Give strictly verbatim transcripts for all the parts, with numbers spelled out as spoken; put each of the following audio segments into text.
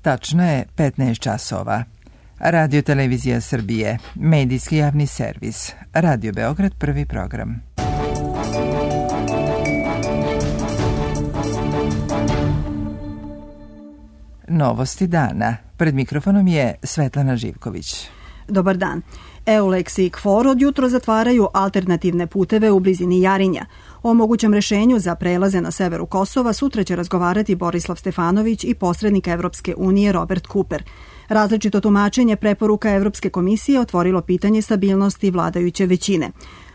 Tačno je petnaest časova. Radio Televizija Srbije, medijski javni servis, Radio Beograd, prvi program. Novosti dana. Pred mikrofonom je Svetlana Živković. Dobar dan. Eulex i KFOR od jutro zatvaraju alternativne puteve u blizini Jarinja. O mogućem rešenju za prelaze na severu Kosova sutra će razgovarati Borislav Stefanović i posrednik Evropske unije Robert Cooper. Različito tumačenje preporuka Evropske komisije otvorilo pitanje stabilnosti vladajuće većine.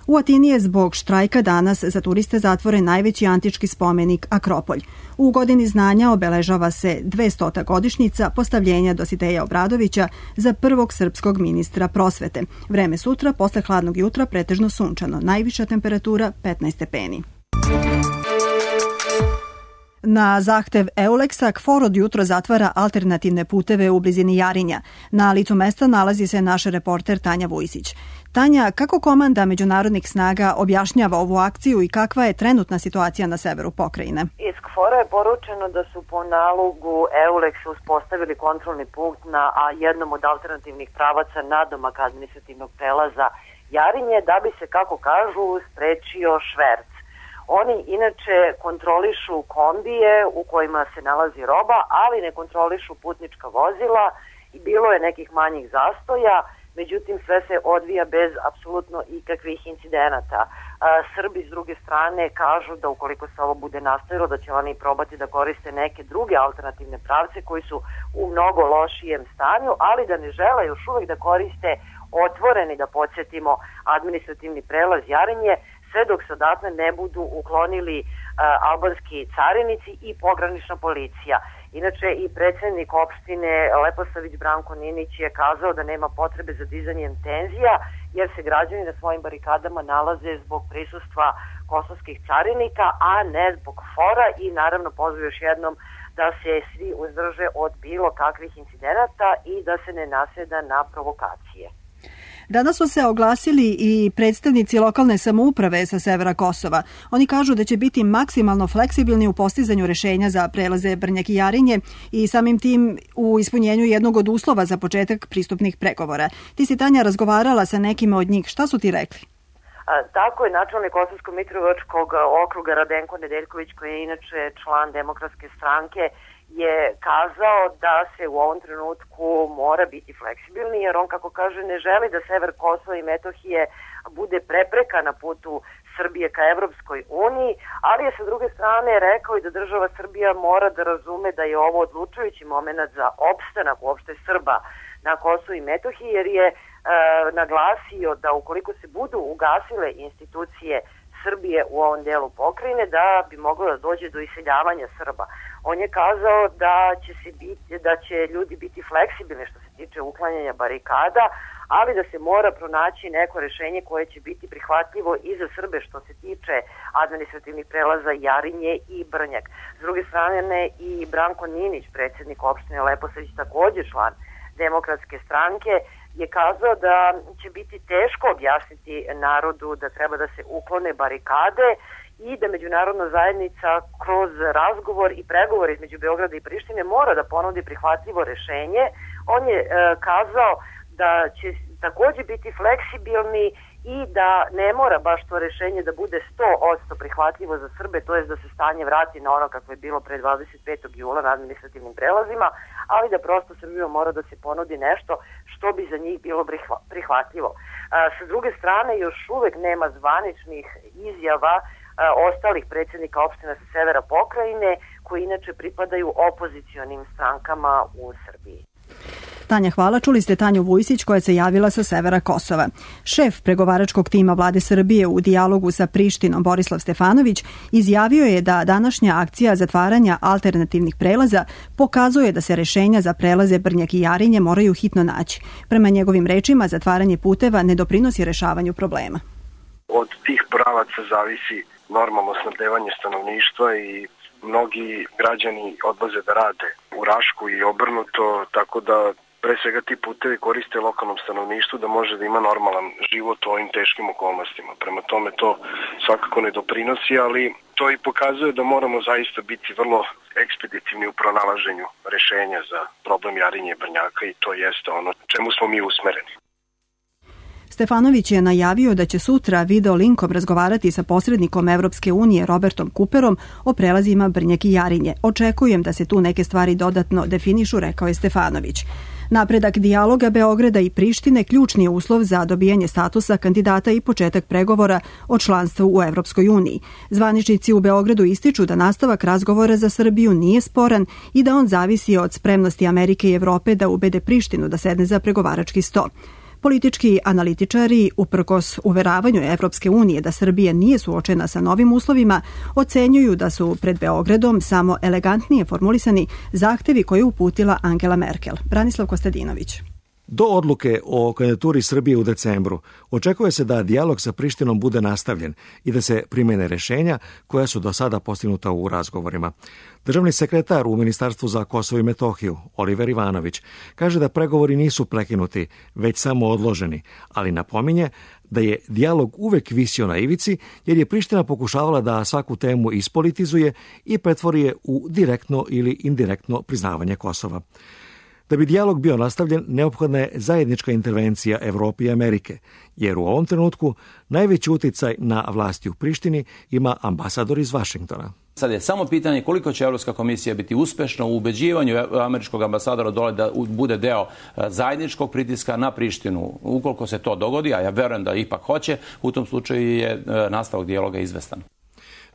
U Atini je zbog štrajka danas za turiste zatvoren najveći antički spomenik Akropolj. U godini znanja obeležava se dvestota godišnjica postavljenja Dositeja Obradovića za prvog srpskog ministra prosvete. Vreme sutra posle hladnog jutra pretežno sunčano, najviša temperatura petnaest stepeni. Na zahtev Eulexa, KFOR od jutro zatvara alternativne puteve u blizini Jarinja. Na licu mesta nalazi se naš reporter Tanja Vujsić. Tanja, kako komanda međunarodnih snaga objašnjava ovu akciju i kakva je trenutna situacija na severu pokrajine? Iz KFOR-a je poručeno da su po nalogu Eulexa uspostavili kontrolni punkt na jednom od alternativnih pravaca nadomak administrativnog prelaza Jarinje, da bi se, kako kažu, sprečio šverc. Oni inače kontrolišu kombije u kojima se nalazi roba, ali ne kontrolišu putnička vozila i bilo je nekih manjih zastoja, međutim sve se odvija bez apsolutno ikakvih incidenata. Srbi s druge strane kažu da ukoliko se ovo bude nastavilo da će oni probati da koriste neke druge alternativne pravce koji su u mnogo lošijem stanju, ali da ne žele još uvek da koriste otvoreni, da podsjetimo, administrativni prelaz Jarinje, sve dok se odatle ne budu uklonili uh, albanski carinici i pogranična policija. Inače i predsjednik opštine Leposavić Branko Ninić je kazao da nema potrebe za dizanjem tenzija jer se građani na svojim barikadama nalaze zbog prisustva kosovskih carinika, a ne zbog KFOR-a i naravno pozvao još jednom da se svi uzdrže od bilo kakvih incidenata i da se ne nasjeda na provokacije. Danas su se oglasili i predstavnici lokalne samouprave sa severa Kosova. Oni kažu da će biti maksimalno fleksibilni u postizanju rešenja za prelaze Brnjak i Jarinje i samim tim u ispunjenju jednog od uslova za početak pristupnih pregovora. Ti si, Tanja, razgovarala sa nekima od njih. Šta su ti rekli? A, tako je načelnik Kosovsko-Mitrovičkog okruga Radenko Nedeljković, koji je inače član Demokratske stranke, je kazao da se u ovom trenutku mora biti fleksibilni, jer on, kako kaže, ne želi da sever Kosova i Metohije bude prepreka na putu Srbije ka Evropskoj uniji, ali je sa druge strane rekao i da država Srbija mora da razume da je ovo odlučujući moment za opstanak uopšte Srba na Kosovu i Metohiji, jer je e, naglasio da ukoliko se budu ugasile institucije Srbije u ovom delu pokrajine, da bi moglo da dođe do iseljavanja Srba. On je kazao da će, se biti, da će ljudi biti fleksibilni što se tiče uklanjanja barikada, ali da se mora pronaći neko rešenje koje će biti prihvatljivo i za Srbe što se tiče administrativnih prelaza Jarinje i Brnjak. S druge strane i Branko Ninić, predsjednik opštine Leposavić, također član Demokratske stranke, je kazao da će biti teško objasniti narodu da treba da se uklone barikade i da međunarodna zajednica kroz razgovor i pregovor između Beograda i Prištine mora da ponudi prihvatljivo rešenje. On je e, kazao da će također biti fleksibilni i da ne mora baš to rešenje da bude sto posto prihvatljivo za Srbe, to je da se stanje vrati na ono kako je bilo pre dvadeset petog jula na administrativnim prelazima, ali da prosto Srbija mora da se ponudi nešto što bi za njih bilo prihvatljivo. A, sa druge strane, još uvek nema zvaničnih izjava a, ostalih predsjednika opština sa severa pokrajine, koji inače pripadaju opozicionim strankama u Srbiji. Tanja, hvala. Čuli ste Tanju Vujsić koja se javila sa severa Kosova. Šef pregovaračkog tima vlade Srbije u dijalogu sa Prištinom Borislav Stefanović izjavio je da današnja akcija zatvaranja alternativnih prelaza pokazuje da se rešenja za prelaze Brnjak i Jarinje moraju hitno naći. Prema njegovim rečima, zatvaranje puteva ne doprinosi rešavanju problema. Od tih pravaca zavisi normalno snabdevanje stanovništva i mnogi građani odlaze da rade u Rašku i obrnuto, tako da pre svega ti putevi koriste lokalnom stanovništvu da može da ima normalan život u ovim teškim okolnostima. Prema tome to svakako ne doprinosi, ali to i pokazuje da moramo zaista biti vrlo ekspeditivni u pronalaženju rešenja za problem Jarinje i Brnjaka i to jeste ono čemu smo mi usmereni. Stefanović je najavio da će sutra video linkom razgovarati sa posrednikom Evropske unije Robertom Cooperom o prelazima Brnjak i Jarinje. Očekujem da se tu neke stvari dodatno definišu, rekao je Stefanović. Napredak dijaloga Beograda i Prištine ključni je uslov za dobijanje statusa kandidata i početak pregovora o članstvu u Evropskoj uniji. Zvaničnici u Beogradu ističu da nastavak razgovora za Srbiju nije sporan i da on zavisi od spremnosti Amerike i Evrope da ubede Prištinu da sedne za pregovarački sto. Politički analitičari, uprkos uveravanju Evropske unije da Srbija nije suočena sa novim uslovima, ocenjuju da su pred Beogradom samo elegantnije formulisani zahtevi koje je uputila Angela Merkel. Branislav Kostadinović. Do odluke o kandidaturi Srbije u decembru očekuje se da dijalog sa Prištinom bude nastavljen i da se primene rešenja koja su do sada postignuta u razgovorima. Državni sekretar u Ministarstvu za Kosovo i Metohiju, Oliver Ivanović, kaže da pregovori nisu prekinuti, već samo odloženi, ali napominje da je dijalog uvek visio na ivici jer je Priština pokušavala da svaku temu ispolitizuje i pretvori je u direktno ili indirektno priznavanje Kosova. Da bi dijalog bio nastavljen, neophodna je zajednička intervencija Evrope i Amerike, jer u ovom trenutku najveći uticaj na vlasti u Prištini ima ambasador iz Vašingtona. Sad je samo pitanje koliko će Evropska komisija biti uspešna u ubeđivanju američkog ambasadora dole da bude deo zajedničkog pritiska na Prištinu. Ukoliko se to dogodi, a ja verujem da ipak hoće, u tom slučaju je nastavak dijaloga izvestan.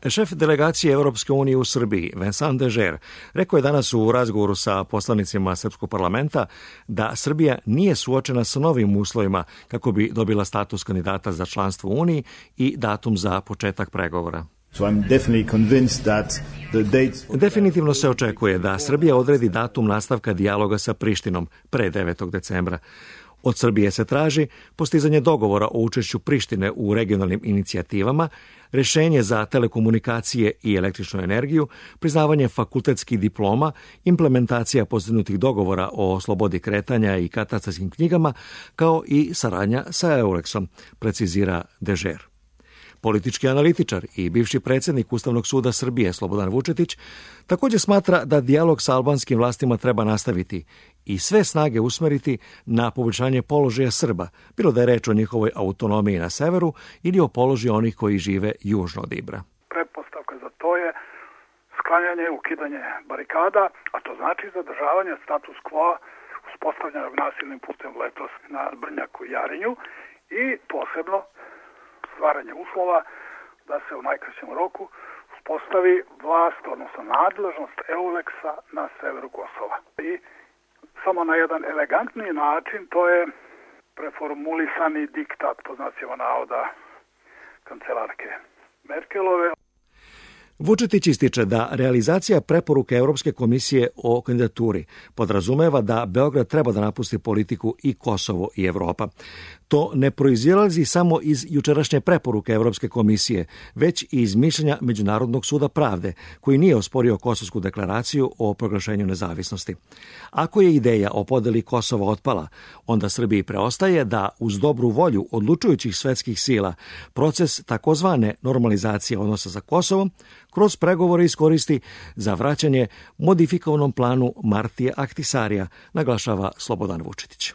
Šef delegacije Evropske unije u Srbiji, Vincent Dežer, rekao je danas u razgovoru sa poslanicima Srpskog parlamenta da Srbija nije suočena sa novim uslovima kako bi dobila status kandidata za članstvo u Uniji i datum za početak pregovora. So I'm definitely convinced that the dates... Definitivno se očekuje da Srbija odredi datum nastavka dijaloga sa Prištinom pre devetog decembra. Od Srbije se traži postizanje dogovora o učešću Prištine u regionalnim inicijativama, rešenje za telekomunikacije i električnu energiju, priznavanje fakultetskih diploma, implementacija postignutih dogovora o slobodi kretanja i katastarskim knjigama, kao i saradnja sa Eulexom, precizira Dežer. Politički analitičar i bivši predsjednik Ustavnog suda Srbije Slobodan Vučetić također smatra da dijalog sa albanskim vlastima treba nastaviti i sve snage usmeriti na poboljšanje položaja Srba, bilo da je reč o njihovoj autonomiji na severu ili o položaju onih koji žive južno od Ibra. Pretpostavka za to je sklanjanje, ukidanje barikada, a to znači zadržavanje status quo uspostavljenog nasilnim putem letos na Brnjaku i Jarinju i posebno stvaranje uslova da se u najkraćem roku uspostavi vlast, odnosno nadležnost Eulexa na severu Kosova. I samo na jedan elegantniji način, to je preformulisani diktat, po znacima navoda, kancelarke Merkelove. Vučetić ističe da realizacija preporuke Europske komisije o kandidaturi podrazumeva da Beograd treba da napusti politiku i Kosovo i Evropa. To ne proizilazi samo iz jučerašnje preporuke Europske komisije, već i iz mišljenja Međunarodnog suda pravde, koji nije osporio Kosovsku deklaraciju o proglašenju nezavisnosti. Ako je ideja o podeli Kosova otpala, onda Srbiji preostaje da uz dobru volju odlučujućih svetskih sila proces takozvane normalizacije odnosa sa Kosovom kroz pregovore iskoristi za vraćanje modifikovanom planu Martije Ahtisarija, naglašava Slobodan Vučetić.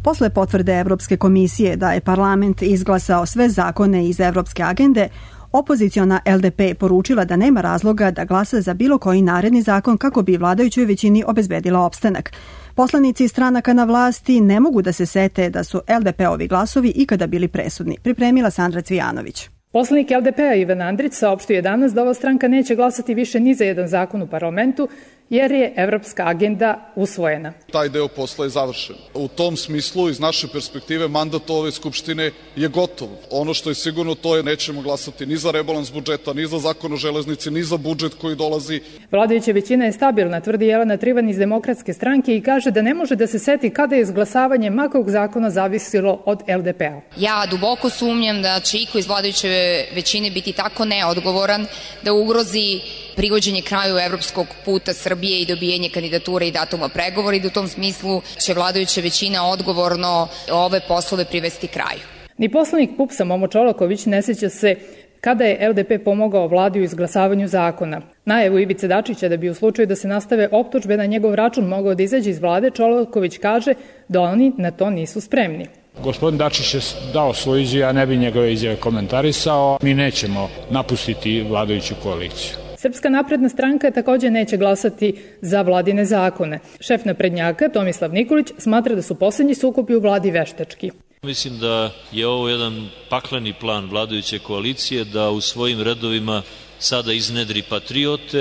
Posle potvrde Evropske komisije da je parlament izglasao sve zakone iz Evropske agende, opoziciona L D P poručila da nema razloga da glasa za bilo koji naredni zakon kako bi vladajućoj većini obezbedila opstanak. Poslanici stranaka na vlasti ne mogu da se sete da su L D P-ovi glasovi ikada bili presudni, pripremila Sandra Cvijanović. Poslanik L D P-a Ivan Andrić saopštio je danas da ova stranka neće glasati više ni za jedan zakon u parlamentu, jer je evropska agenda usvojena. Taj deo posla je završen. U tom smislu, iz naše perspektive, mandat ove Skupštine je gotov. Ono što je sigurno, to je nećemo glasati ni za rebalans budžeta, ni za zakon o železnici, ni za budžet koji dolazi. Vladajuća većina je stabilna, tvrdi Jelena Trivan iz Demokratske stranke i kaže da ne može da se seti kada je izglasavanje makog zakona zavisilo od L D P-a. Ja duboko sumnjam da će iko iz vladajuće većine biti tako neodgovoran da ugrozi privođenje kraju evropskog puta Srbije i dobijanje kandidature i datuma pregovora i da u tom smislu će vladajuća većina odgovorno ove poslove privesti kraju. Ni poslanik P U P S-a Momo Čolaković ne sjeća se kada je L D P pomogao vladi u izglasavanju zakona. Najavu Ivice Dačića da bi u slučaju da se nastave optužbe na njegov račun mogao da izađe iz vlade, Čolaković kaže da oni na to nisu spremni. Gospodin Dačić je dao svoju izjavu, ja ne bi njegove izjave komentarisao. Mi nećemo napustiti vladajuću koaliciju. Srpska napredna stranka također neće glasati za vladine zakone. Šef naprednjaka Tomislav Nikolić smatra da su posljednji sukobi u vladi veštački. Mislim da je ovo jedan pakleni plan vladajuće koalicije da u svojim redovima sada iznedri patriote,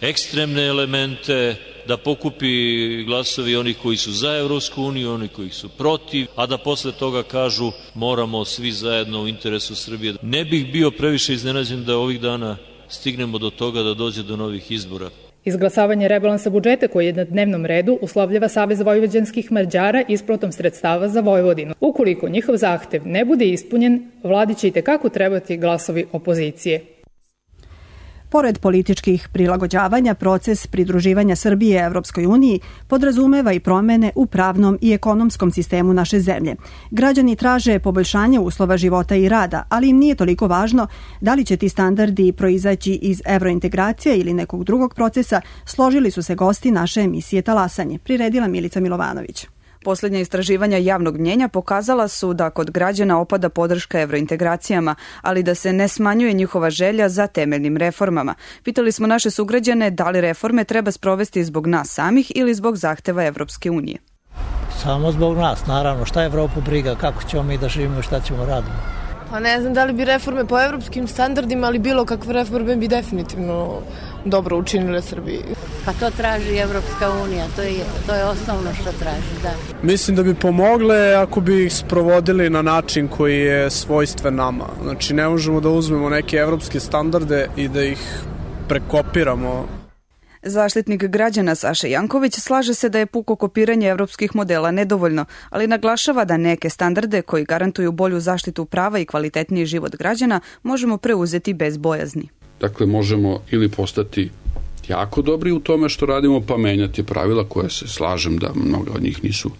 ekstremne elemente, da pokupi glasovi onih koji su za Evropsku uniju, onih koji su protiv, a da posle toga kažu moramo svi zajedno u interesu Srbije. Ne bih bio previše iznenađen da ovih dana stignemo do toga da dođe do novih izbora. Izglasavanje rebalansa budžeta koji je na dnevnom redu uslovljava Savez vojvođanskih Mađara isplatom sredstava za Vojvodinu. Ukoliko njihov zahtev ne bude ispunjen, vladi će itekako trebati glasovi opozicije. Pored političkih prilagođavanja, proces pridruživanja Srbije Evropskoj uniji podrazumeva i promene u pravnom i ekonomskom sistemu naše zemlje. Građani traže poboljšanje uslova života i rada, ali im nije toliko važno da li će ti standardi proizaći iz evrointegracije ili nekog drugog procesa, složili su se gosti naše emisije Talasanje, priredila Milica Milovanović. Posljednja istraživanja javnog mnjenja pokazala su da kod građana opada podrška evrointegracijama, ali da se ne smanjuje njihova želja za temeljnim reformama. Pitali smo naše sugrađane da li reforme treba sprovesti zbog nas samih ili zbog zahteva Evropske unije. Samo zbog nas, naravno. Šta je Evropu briga, kako ćemo mi da živimo i šta ćemo raditi? Pa ne znam da li bi reforme po evropskim standardima, ali bilo kakve reforme bi definitivno dobro učinile Srbiji. Pa to traži Evropska unija, to je, to je osnovno što traži, da. Mislim da bi pomogle ako bi ih sprovodili na način koji je svojstven nama. Znači ne možemo da uzmemo neke evropske standarde i da ih prekopiramo. Zaštitnik građana Saša Janković slaže se da je puko kopiranje evropskih modela nedovoljno, ali naglašava da neke standarde koji garantuju bolju zaštitu prava i kvalitetniji život građana možemo preuzeti bez bojazni. Dakle, možemo ili postati jako dobri u tome što radimo, pa menjati pravila koje se slažem da mnoga od njih nisu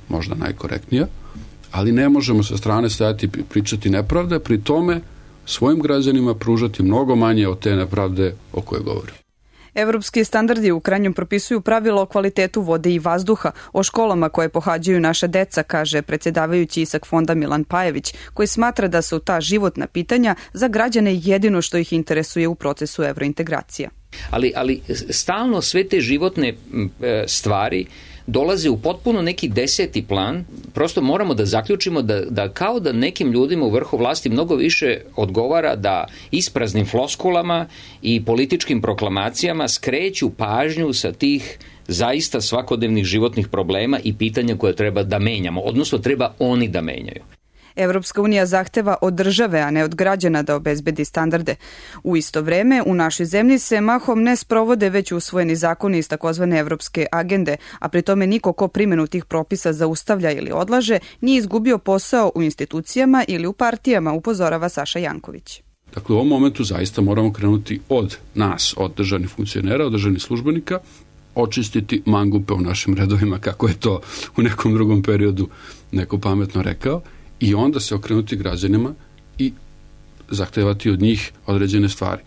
možda najkorektnija, ali ne možemo sa strane stajati i pričati nepravde, pri tome svojim građanima pružati mnogo manje od te nepravde o kojoj govorim. Evropski standardi u krajnjem propisuju pravilo o kvalitetu vode i vazduha, o školama koje pohađaju naša deca, kaže predsjedavajući Isak fonda Milan Pajević, koji smatra da su ta životna pitanja za građane jedino što ih interesuje u procesu evrointegracija. Ali, ali stalno sve te životne stvari dolaze u potpuno neki deseti plan. Prosto moramo da zaključimo da, da kao da nekim ljudima u vrhu vlasti mnogo više odgovara da ispraznim floskulama i političkim proklamacijama skreću pažnju sa tih zaista svakodnevnih životnih problema i pitanja koje treba da menjamo, odnosno treba oni da menjaju. Evropska unija zahteva od države, a ne od građana da obezbedi standarde. U isto vreme, u našoj zemlji se mahom ne sprovode već usvojeni zakoni iz takozvane evropske agende, a pri tome niko ko primjenu tih propisa zaustavlja ili odlaže nije izgubio posao u institucijama ili u partijama, upozorava Saša Janković. Dakle, u ovom momentu zaista moramo krenuti od nas, od državnih funkcionera, od državnih službenika, očistiti mangupe u našim redovima, kako je to u nekom drugom periodu neko pametno rekao, i onda se okrenuti građanima i zahtevati od njih određene stvari.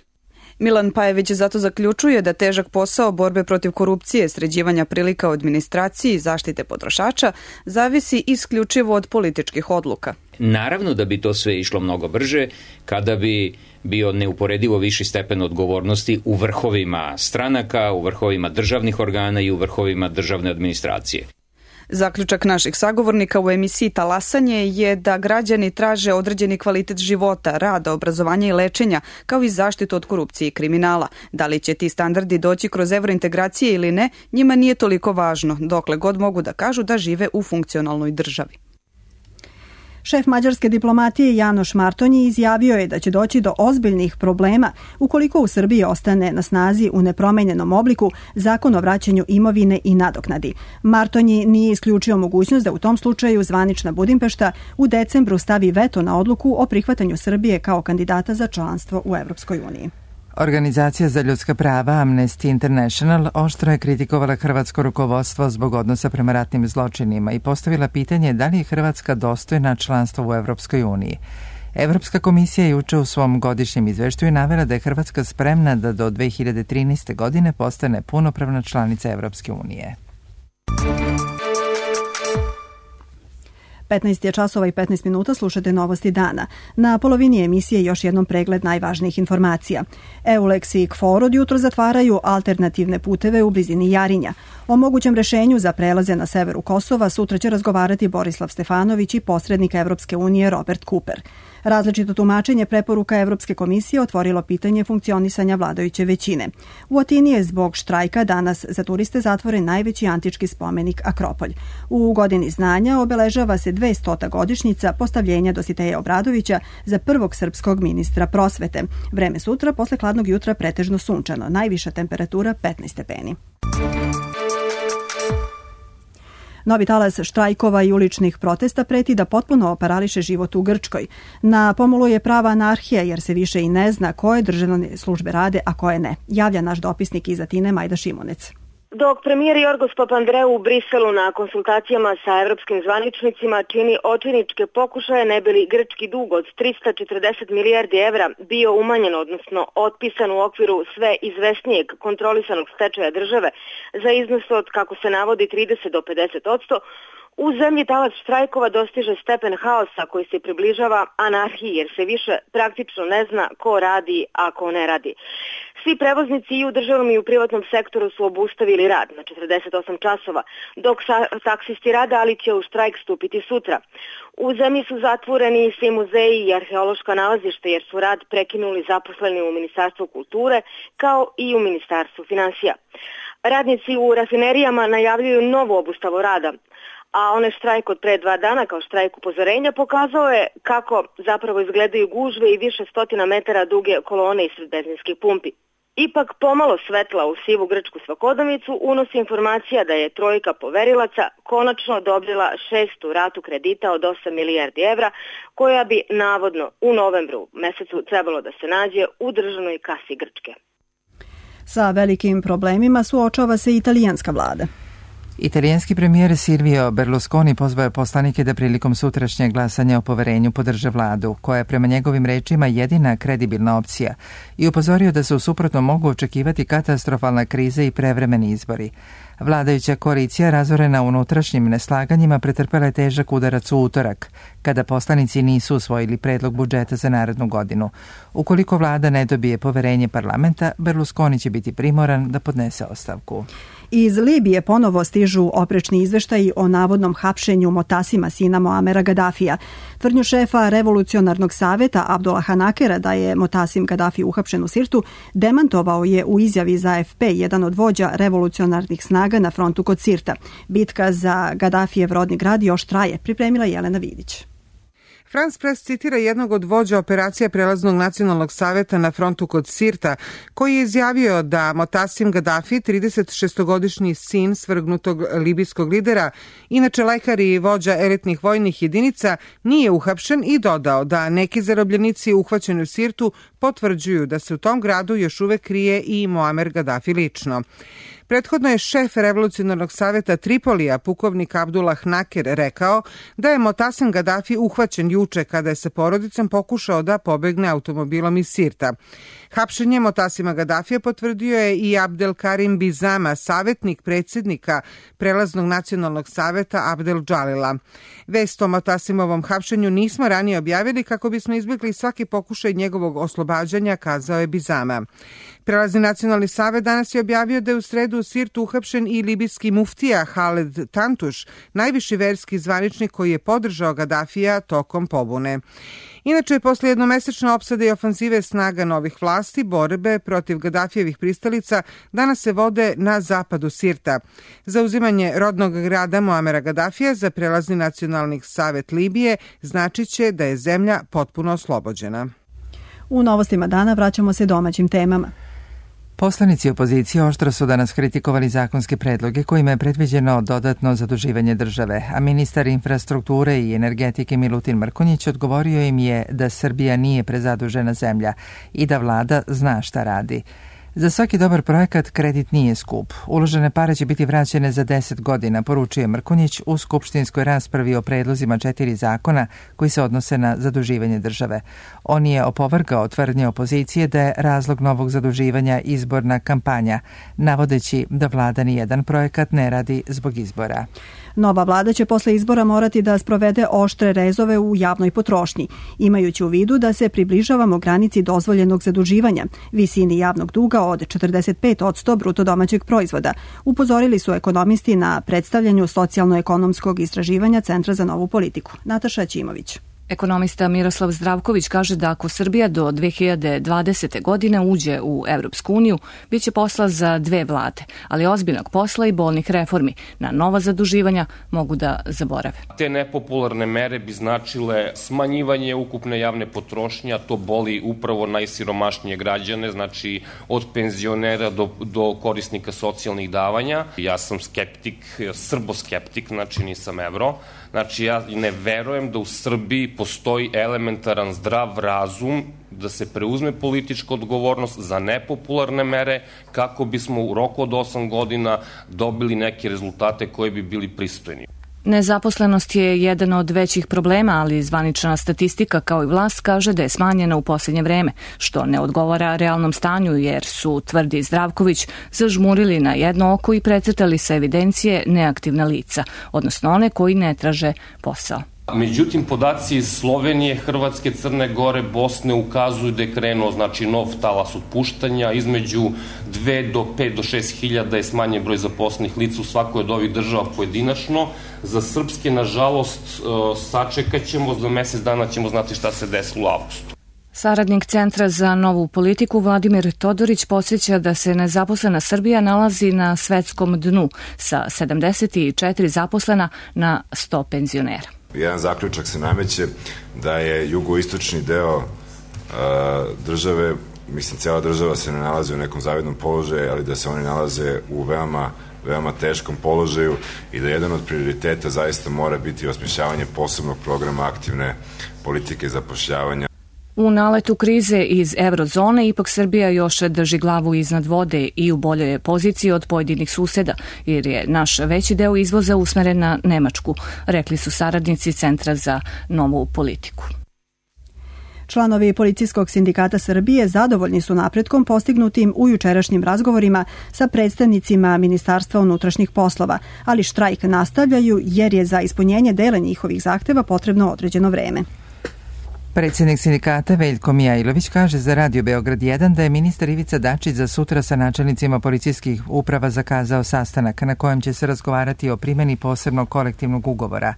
Milan Pajević zato zaključuje da težak posao borbe protiv korupcije, sređivanja prilika u administraciji i zaštite potrošača zavisi isključivo od političkih odluka. Naravno da bi to sve išlo mnogo brže kada bi bio neuporedivo viši stepen odgovornosti u vrhovima stranaka, u vrhovima državnih organa i u vrhovima državne administracije. Zaključak naših sagovornika u emisiji Talasanje je da građani traže određeni kvalitet života, rada, obrazovanja i lečenja, kao i zaštitu od korupcije i kriminala. Da li će ti standardi doći kroz evrointegracije ili ne, njima nije toliko važno, dokle god mogu da kažu da žive u funkcionalnoj državi. Šef mađarske diplomatije Janoš Martonji izjavio je da će doći do ozbiljnih problema ukoliko u Srbiji ostane na snazi u nepromenjenom obliku zakon o vraćanju imovine i nadoknadi. Martonji nije isključio mogućnost da u tom slučaju zvanična Budimpešta u decembru stavi veto na odluku o prihvatanju Srbije kao kandidata za članstvo u Evropskoj uniji. Organizacija za ljudska prava Amnesty International oštro je kritikovala hrvatsko rukovodstvo zbog odnosa prema ratnim zločinima i postavila pitanje da li je Hrvatska dostojna članstva u Evropskoj uniji. Evropska komisija je juče u svom godišnjem izveštaju navela da je Hrvatska spremna da do dve hiljade trinaeste. godine postane punopravna članica Evropske unije. petnaest je časova i petnaest minuta, slušate novosti dana. Na polovini emisije još jednom pregled najvažnijih informacija. EULEX i KFOR od jutro zatvaraju alternativne puteve u blizini Jarinja. O mogućem rešenju za prelaze na severu Kosova sutra će razgovarati Borislav Stefanović i posrednik Evropske unije Robert Cooper. Različito tumačenje preporuka Evropske komisije otvorilo pitanje funkcionisanja vladajuće većine. U Atini je zbog štrajka danas za turiste zatvoren najveći antički spomenik Akropolj. U godini znanja obeležava se dvestota godišnjica postavljenja Dositeja Obradovića za prvog srpskog ministra prosvete. Vreme sutra posle hladnog jutra pretežno sunčano, najviša temperatura petnaest stepeni. Novi talas štrajkova i uličnih protesta preti da potpuno parališe život u Grčkoj. Na pomolu je prava anarhija jer se više i ne zna koje državne službe rade, a koje ne. Javlja naš dopisnik iz Atine Majda Šimunec. Dok premijer Jorgos Papandreou u Briselu na konsultacijama sa evropskim zvaničnicima čini očajničke pokušaje ne bi li grčki dug od trista četrdeset milijardi evra bio umanjen, odnosno otpisan u okviru sve izvesnijeg kontrolisanog stečaja države za iznos od, kako se navodi, trideset do pedeset odsto, u zemlji talac štrajkova dostiže stepen haosa koji se približava anarhiji jer se više praktično ne zna ko radi, a ko ne radi. Svi prevoznici i u državnom i u privatnom sektoru su obustavili rad na četrdeset osam časova, dok taksisti rade, ali će u štrajk stupiti sutra. U zemlji su zatvoreni svi muzeji i arheološka nalazišta jer su rad prekinuli zaposleni u Ministarstvu kulture kao i u Ministarstvu finansija. Radnici u rafinerijama najavljuju novu obustavu rada, a onaj štrajk od pre dva dana kao štrajk upozorenja pokazao je kako zapravo izgledaju gužve i više stotina metara duge kolone ispred benzinskih pumpi. Ipak pomalo svetla u sivu grčku svakodnevnicu unosi informacija da je trojka poverilaca konačno odobrila šestu ratu kredita od osam milijardi evra, koja bi navodno u novembru mesecu trebalo da se nađe u državnoj kasi Grčke. Sa velikim problemima suočava se italijanska vlada. Italijanski premijer Silvio Berlusconi pozvao je poslanike da prilikom sutrašnjeg glasanja o poverenju podrže vladu, koja je prema njegovim rečima jedina kredibilna opcija, i upozorio da se u suprotnom mogu očekivati katastrofalna kriza i prevremeni izbori. Vladajuća koalicija, razorena unutrašnjim neslaganjima, pretrpela je težak udarac u utorak, kada poslanici nisu usvojili predlog budžeta za narednu godinu. Ukoliko vlada ne dobije poverenje parlamenta, Berlusconi će biti primoran da podnese ostavku. Iz Libije ponovo stižu oprečni izveštaji o navodnom hapšenju Motasima, sina Moamera Gadafija. Tvrdnju šefa revolucionarnog saveta Abdullaha Nakera da je Motasim Gadafi uhapšen u Sirtu demantovao je u izjavi za A F P jedan od vođa revolucionarnih snaga na frontu kod Sirta. Bitka za Gadafijev rodni grad još traje, pripremila Jelena Vidić. France Press citira jednog od vođa operacija Prelaznog nacionalnog saveta na frontu kod Sirta, koji je izjavio da Motasim Gadafi, trideset šestogodišnji sin svrgnutog libijskog lidera, inače lekar i vođa elitnih vojnih jedinica, nije uhapšen i dodao da neki zarobljenici uhvaćeni u Sirtu potvrđuju da se u tom gradu još uvek krije i Muamer Gadafi lično. Prethodno je šef revolucionarnog saveta Tripolija, pukovnik Abdullah Naker, rekao da je Motasim Gadafi uhvaćen juče kada je sa porodicom pokušao da pobegne automobilom iz Sirta. Hapšenje Motasima Gadafija potvrdio je i Abdel Karim Bizama, savjetnik predsjednika Prelaznog nacionalnog saveta Abdel Džalila. Vest o Motasimovom hapšenju nismo ranije objavili kako bismo izbjegli svaki pokušaj njegovog oslobađanja, kazao je Bizama. Prelazni nacionalni savet danas je objavio da je u sredu u Sirtu uhapšen i libijski muftija Haled Tantuš, najviši verski zvaničnik koji je podržao Gadafija tokom pobune. Inače, posle jednomesečne opsade i ofanzive snaga novih vlasti, borbe protiv Gadafijevih pristalica danas se vode na zapadu Sirta. Zauzimanje rodnog grada Muamera Gadafija za Prelazni nacionalni savet Libije značit će da je zemlja potpuno oslobođena. U novostima dana vraćamo se domaćim temama. Poslanici opozicije oštro su danas kritikovali zakonske predloge kojima je predviđeno dodatno zaduživanje države, a ministar infrastrukture i energetike Milutin Mrkonjić odgovorio im je da Srbija nije prezadužena zemlja i da vlada zna šta radi. Za svaki dobar projekat kredit nije skup. Uložene pare će biti vraćene za deset godina, poručuje Mrkonjić u skupštinskoj raspravi o predlozima četiri zakona koji se odnose na zaduživanje države. On je opovrgao tvrdnje opozicije da je razlog novog zaduživanja izborna kampanja, navodeći da vlada ni jedan projekat ne radi zbog izbora. Nova vlada će posle izbora morati da sprovede oštre rezove u javnoj potrošnji, imajući u vidu da se približavamo granici dozvoljenog zaduživanja, visini javnog duga od četrdeset pet posto bruto domaćeg proizvoda, upozorili su ekonomisti na predstavljanju socijalno-ekonomskog istraživanja Centra za novu politiku. Nataša Ćimović. Ekonomista Miroslav Zdravković kaže da ako Srbija do dve hiljade dvadesete. godine uđe u Evropsku uniju, bit će posla za dve vlade, ali ozbiljnog posla i bolnih reformi na nova zaduživanja mogu da zaborave. Te nepopularne mere bi značile smanjivanje ukupne javne potrošnje, a to boli upravo najsiromašnije građane, znači od penzionera do, do korisnika socijalnih davanja. Ja sam skeptik, srboskeptik, znači nisam evro. Znači ja ne verujem da u Srbiji postoji elementaran zdrav razum da se preuzme politička odgovornost za nepopularne mere kako bismo u roku od osam godina dobili neke rezultate koji bi bili pristojni. Nezaposlenost je jedan od većih problema, ali zvanična statistika kao i vlast kaže da je smanjena u posljednje vreme, što ne odgovara realnom stanju jer su, tvrdi Zdravković, zažmurili na jedno oko i precrtali sa evidencije neaktivna lica, odnosno one koji ne traže posao. Međutim, podaci iz Slovenije, Hrvatske, Crne Gore, Bosne ukazuju da je krenuo znači nov talas otpuštanja, između dve do pet do šest hiljada je smanjen broj zaposlenih lica u svakoj od ovih država pojedinačno. Za srpske, nažalost, sačekat ćemo, za mesec dana ćemo znati šta se desilo u avgustu. Saradnik Centra za novu politiku Vladimir Todorić podsjeća da se nezaposlena Srbija nalazi na svetskom dnu sa sedamdeset četiri zaposlena na sto penzionera. Jedan zaključak se nameće da je jugoistočni deo uh, države, mislim cijela država se ne nalazi u nekom zavidnom položaju, ali da se oni nalaze u veoma, veoma teškom položaju i da jedan od prioriteta zaista mora biti osmišljavanje posebnog programa aktivne politike zapošljavanja. U naletu krize iz eurozone ipak Srbija još drži glavu iznad vode i u boljoj je poziciji od pojedinih suseda, jer je naš veći deo izvoza usmeren na Nemačku, rekli su saradnici Centra za novu politiku. Članovi Policijskog sindikata Srbije zadovoljni su napretkom postignutim u jučerašnjim razgovorima sa predstavnicima Ministarstva unutrašnjih poslova, ali štrajk nastavljaju jer je za ispunjenje dela njihovih zahteva potrebno određeno vreme. Predsjednik sindikata Veljko Mijailović kaže za Radio Beograd jedan da je ministar Ivica Dačić za sutra sa načelnicima policijskih uprava zakazao sastanak na kojem će se razgovarati o primjeni posebnog kolektivnog ugovora.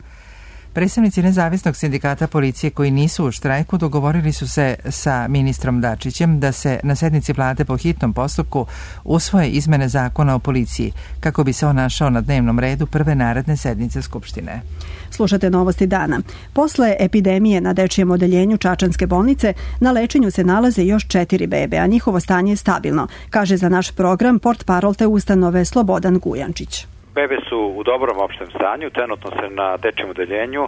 Predstavnici nezavisnog sindikata policije koji nisu u štrajku dogovorili su se sa ministrom Dačićem da se na sednici vlade po hitnom postupku usvoje izmene zakona o policiji kako bi se on našao na dnevnom redu prve naredne sednice Skupštine. Slušate novosti dana. Posle epidemije na dečijem odeljenju Čačanske bolnice na lečenju se nalaze još četiri bebe, a njihovo stanje je stabilno, kaže za naš program portparol te ustanove Slobodan Gujančić. Bebe su u dobrom opštem stanju, trenutno se na dečijem odeljenju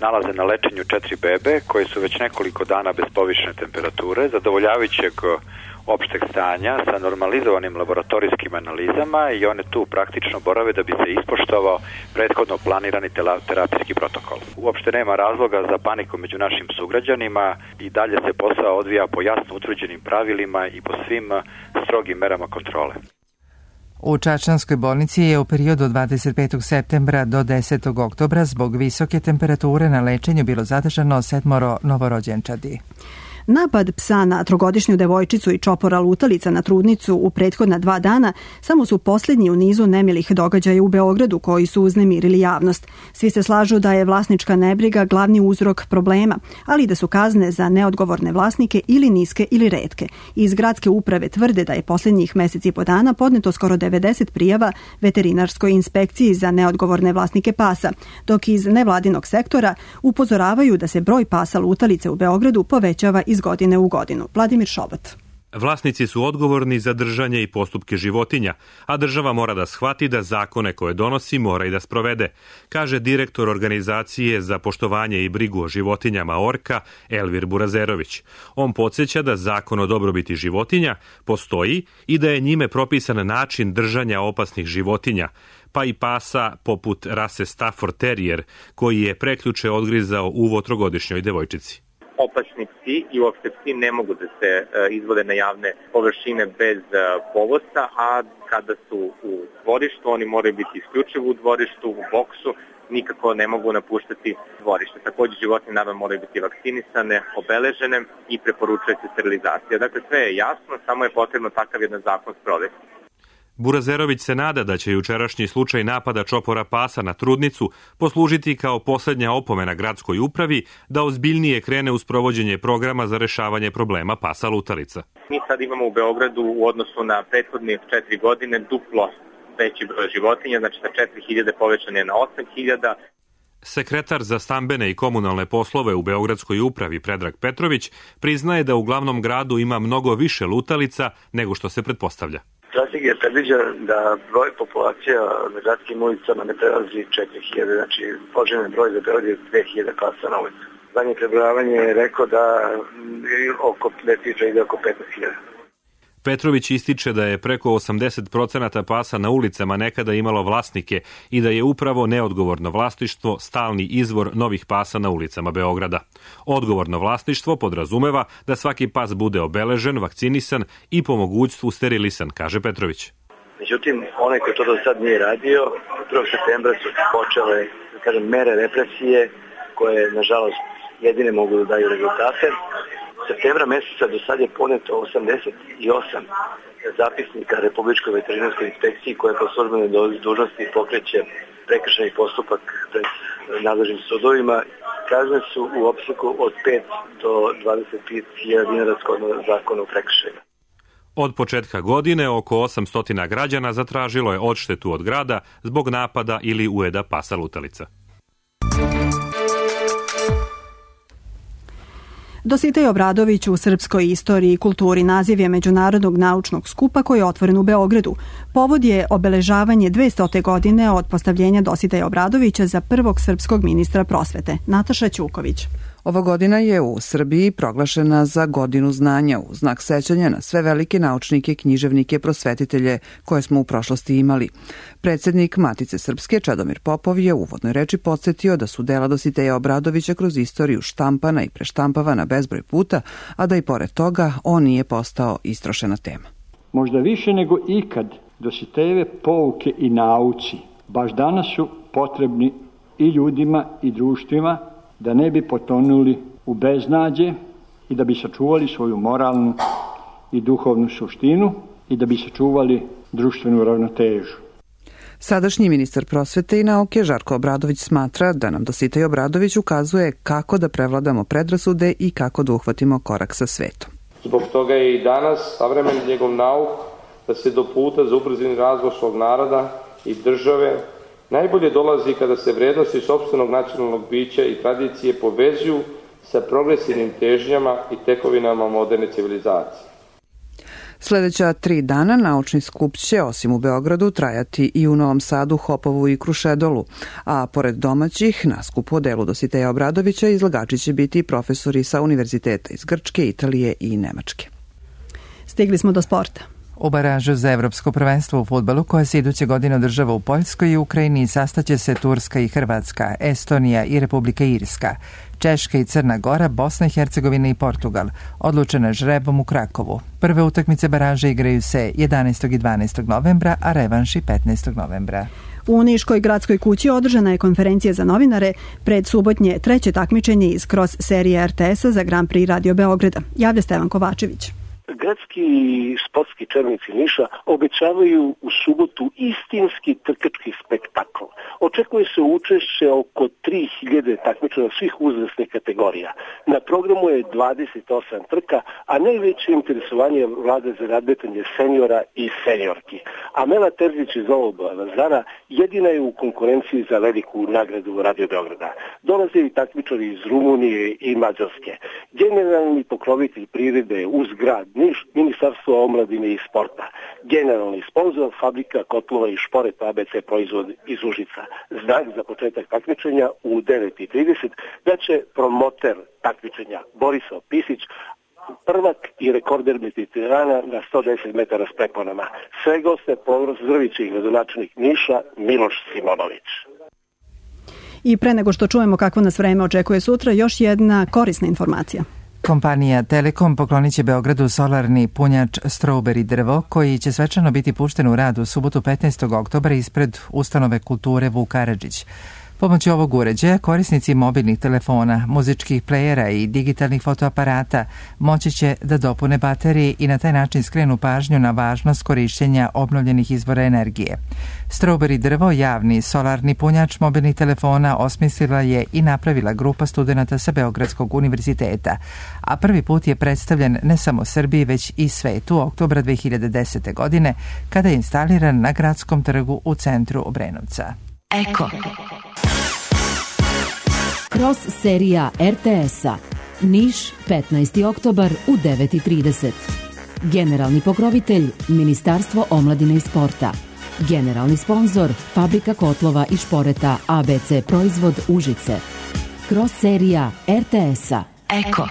nalaze na lečenju četiri bebe koje su već nekoliko dana bez povišene temperature, zadovoljavajućeg opšteg stanja sa normalizovanim laboratorijskim analizama i one tu praktično borave da bi se ispoštovao prethodno planirani terapijski protokol. Uopšte nema razloga za paniku među našim sugrađanima i dalje se posao odvija po jasno utvrđenim pravilima i po svim strogim merama kontrole. U Čačanskoj bolnici je u periodu od dvadeset petog septembra do desetog oktobra zbog visoke temperature na lečenju bilo zadržano sedmoro novorođenčadi. Napad psa na trogodišnju devojčicu i čopora lutalica na trudnicu u prethodna dva dana samo su posljednji u nizu nemilih događaja u Beogradu koji su uznemirili javnost. Svi se slažu da je vlasnička nebriga glavni uzrok problema, ali da su kazne za neodgovorne vlasnike ili niske ili retke. Iz gradske uprave tvrde da je posljednjih meseci i po dana podneto skoro devedeset prijava veterinarskoj inspekciji za neodgovorne vlasnike pasa, dok iz nevladinog sektora upozoravaju da se broj pasa lutalice u Beogradu povećava iz godine u godinu. Vladimir Šobat. Vlasnici su odgovorni za držanje i postupke životinja, a država mora da shvati da zakone koje donosi mora i da sprovede, kaže direktor organizacije za poštovanje i brigu o životinjama Orka, Elvir Burazerović. On podsjeća da zakon o dobrobiti životinja postoji i da je njime propisan način držanja opasnih životinja, pa i pasa poput rase Stafford Terrier, koji je prekjuče odgrizao uvo trogodišnjoj devojčici. Opasni psi i uopšte psi ne mogu da se izvode na javne površine bez povosta, a kada su u dvorištu, oni moraju biti isključivo u dvorištu, u boksu, nikako ne mogu napuštati dvorište. Takođe, životinje naravno moraju biti vakcinisane, obeležene i preporučuje se sterilizacija. Dakle, sve je jasno, samo je potrebno takav jedan zakon sprovesti. Burazerović se nada da će jučerašnji slučaj napada čopora pasa na trudnicu poslužiti kao poslednja opomena gradskoj upravi da ozbiljnije krene u sprovođenje programa za rešavanje problema pasa lutalica. Mi sad imamo u Beogradu u odnosu na prethodne četiri godine duplo veći broj životinja, znači sa četiri hiljade povećan je na osam hiljada. Sekretar za stambene i komunalne poslove u Beogradskoj upravi Predrag Petrović priznaje da u glavnom gradu ima mnogo više lutalica nego što se pretpostavlja. Strategija predviđa da broj populacija na gradskim ulicama ne prelazi četiri hiljade, znači poželjni broj za Beograd je dve hiljade pasa na ulicu. Zadnje prebrojavanje je rekao da oko cifra ide oko petnaest hiljada. Petrović ističe da je preko osamdeset procenata pasa na ulicama nekada imalo vlasnike i da je upravo neodgovorno vlasništvo stalni izvor novih pasa na ulicama Beograda. Odgovorno vlasništvo podrazumeva da svaki pas bude obeležen, vakcinisan i po mogućstvu sterilisan, kaže Petrović. Međutim, onaj ko to do sad nije radio, prvog septembra su počele, da kažem, mere represije koje, nažalost, jedine mogu da daju rezultate. Septembra meseca do sad je poneto osamdeset osam zapisnika Republičkoj veterinarskoj inspekciji koja po službenoj dužnosti pokreće prekršajni postupak pred nadležnim sudovima. Kazne su u opseku od pet do dvadeset pet hiljada dinara shodno zakonu o prekršajima. Od početka godine oko osamsto građana zatražilo je odštetu od grada zbog napada ili ujeda pasa lutalica. Dositej Obradović u srpskoj istoriji i kulturi naziv je međunarodnog naučnog skupa koji je otvoren u Beogradu. Povod je obeležavanje dvestote godine od postavljenja Dositeja Obradovića za prvog srpskog ministra prosvete. Nataša Ćuković. Ova godina je u Srbiji proglašena za godinu znanja u znak sećanja na sve velike naučnike, književnike, prosvetitelje koje smo u prošlosti imali. Predsednik Matice Srpske Čedomir Popov je u uvodnoj reči podsjetio da su dela Dositeja Obradovića kroz istoriju štampana i preštampavana bezbroj puta, a da i pored toga on nije postao istrošena tema. Možda više nego ikad Dositejeve pouke i nauci baš danas su potrebni i ljudima i društvima da ne bi potonuli u beznađe i da bi sačuvali svoju moralnu i duhovnu suštinu i da bi sačuvali društvenu ravnotežu. Sadašnji ministar prosvete i nauke Žarko Obradović smatra da nam Dositej Obradović ukazuje kako da prevladamo predrasude i kako da uhvatimo korak sa svetom. Zbog toga je i danas savremen njegov nauk da se do puta za ubrzani razvoj svog naroda i države najbolje dolazi kada se vrednosti sopstvenog nacionalnog bića i tradicije povezuju sa progresivnim težnjama i tekovinama moderne civilizacije. Sledeća tri dana naučni skup će, osim u Beogradu, trajati i u Novom Sadu, Hopovu i Krušedolu, a pored domaćih, na skupu o delu Dositeja Obradovića izlagači će biti profesori sa univerziteta iz Grčke, Italije i Nemačke. Stigli smo do sporta. U baražu za evropsko prvenstvo u fudbalu koje se iduće godine održava u Poljskoj i Ukrajini sastaće se Turska i Hrvatska, Estonija i Republika Irska, Češka i Crna Gora, Bosna i Hercegovina i Portugal, odlučene žrebom u Krakovu. Prve utakmice baraže igraju se jedanaestog i dvanaestog novembra, a revanš i petnaestog novembra. U Niškoj gradskoj kući održana je konferencija za novinare pred subotnje treće takmičenje iz cross serije er te es-a za Grand Prix Radio Beograda. Javlja Stevan Kovačević. Gradski sportski čelnici Niša obećavaju u subotu istinski trkački spektakl. Očekuje se učešće oko tri hiljade takmičara svih uzrasnih kategorija. Na programu je dvadeset osam trka, a najveće interesovanje vlada za nadmetanje seniora i seniorki. Amela Terzić iz Novog Pazara jedina je u konkurenciji za veliku nagradu Radio Beograda. Dolaze i takmičari iz Rumunije i Mađarske. Generalni pokrovitelj prirode uz grad Niš, Ministarstvo omladine i sporta. Generalni sponsor fabrika kotlova i šporeta A B C proizvod iz Užica. Znak za početak takmičenja u devet i trideset da će promoter takmičenja Borislav Pisić, prvak i rekorder Mediterana na sto deset metara s preponama. Sve goste pozdravit će i gradonačelnik Niša Miloš Simonović. I pre nego što čujemo kako nas vreme očekuje sutra, još jedna korisna informacija. Kompanija Telekom poklonit će Beogradu solarni punjač Strawberry drvo, koji će svečano biti pušten u rad u subotu petnaestog oktobra ispred Ustanove kulture Vuk Karadžić. Pomoću ovog uređaja korisnici mobilnih telefona, muzičkih plejera i digitalnih fotoaparata moći će da dopune baterije i na taj način skrenu pažnju na važnost korišćenja obnovljenih izvora energije. Strawberry drvo, javni solarni punjač mobilnih telefona, osmislila je i napravila grupa studenata sa Beogradskog univerziteta, a prvi put je predstavljen ne samo Srbiji, već i svetu oktobra dve hiljade desete. godine, kada je instaliran na Gradskom trgu u centru Obrenovca. Eko. Cross serija R T S-a. Niš, petnaesti oktobar u devet i trideset. Generalni pokrovitelj Ministarstvo omladine i sporta. Generalni sponzor Fabrika kotlova i šporeta A B C proizvod Užice. Cross serija R T S-a. Eko.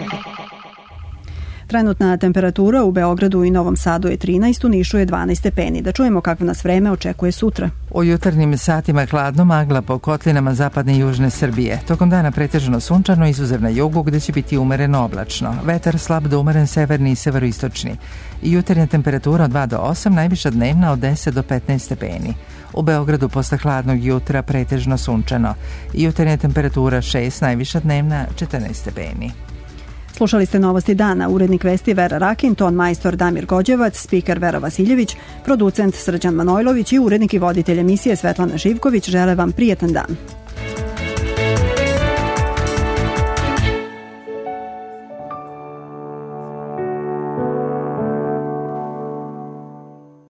Trenutna temperatura u Beogradu i Novom Sadu je trinaest, u Nišu je dvanaest stepeni. Da čujemo kako nas vreme očekuje sutra. U jutarnjim satima hladno, magla po kotlinama zapadne i južne Srbije. Tokom dana pretežno sunčano, izuzev na jugu gde će biti umereno oblačno. Vetar slab do umeren severni i severoistočni. Jutarnja temperatura od dva do osam, najviša dnevna od deset do petnaest stepeni. U Beogradu posle hladnog jutra pretežno sunčano. Jutarnja temperatura šest, najviša dnevna četrnaest stepeni. Slušali ste Novosti dana, urednik vesti Vera Rakin, ton majstor Damir Gođevac, spiker Vera Vasiljević, producent Srđan Manojlović i urednik i voditelj emisije Svetlana Živković žele vam prijetan dan.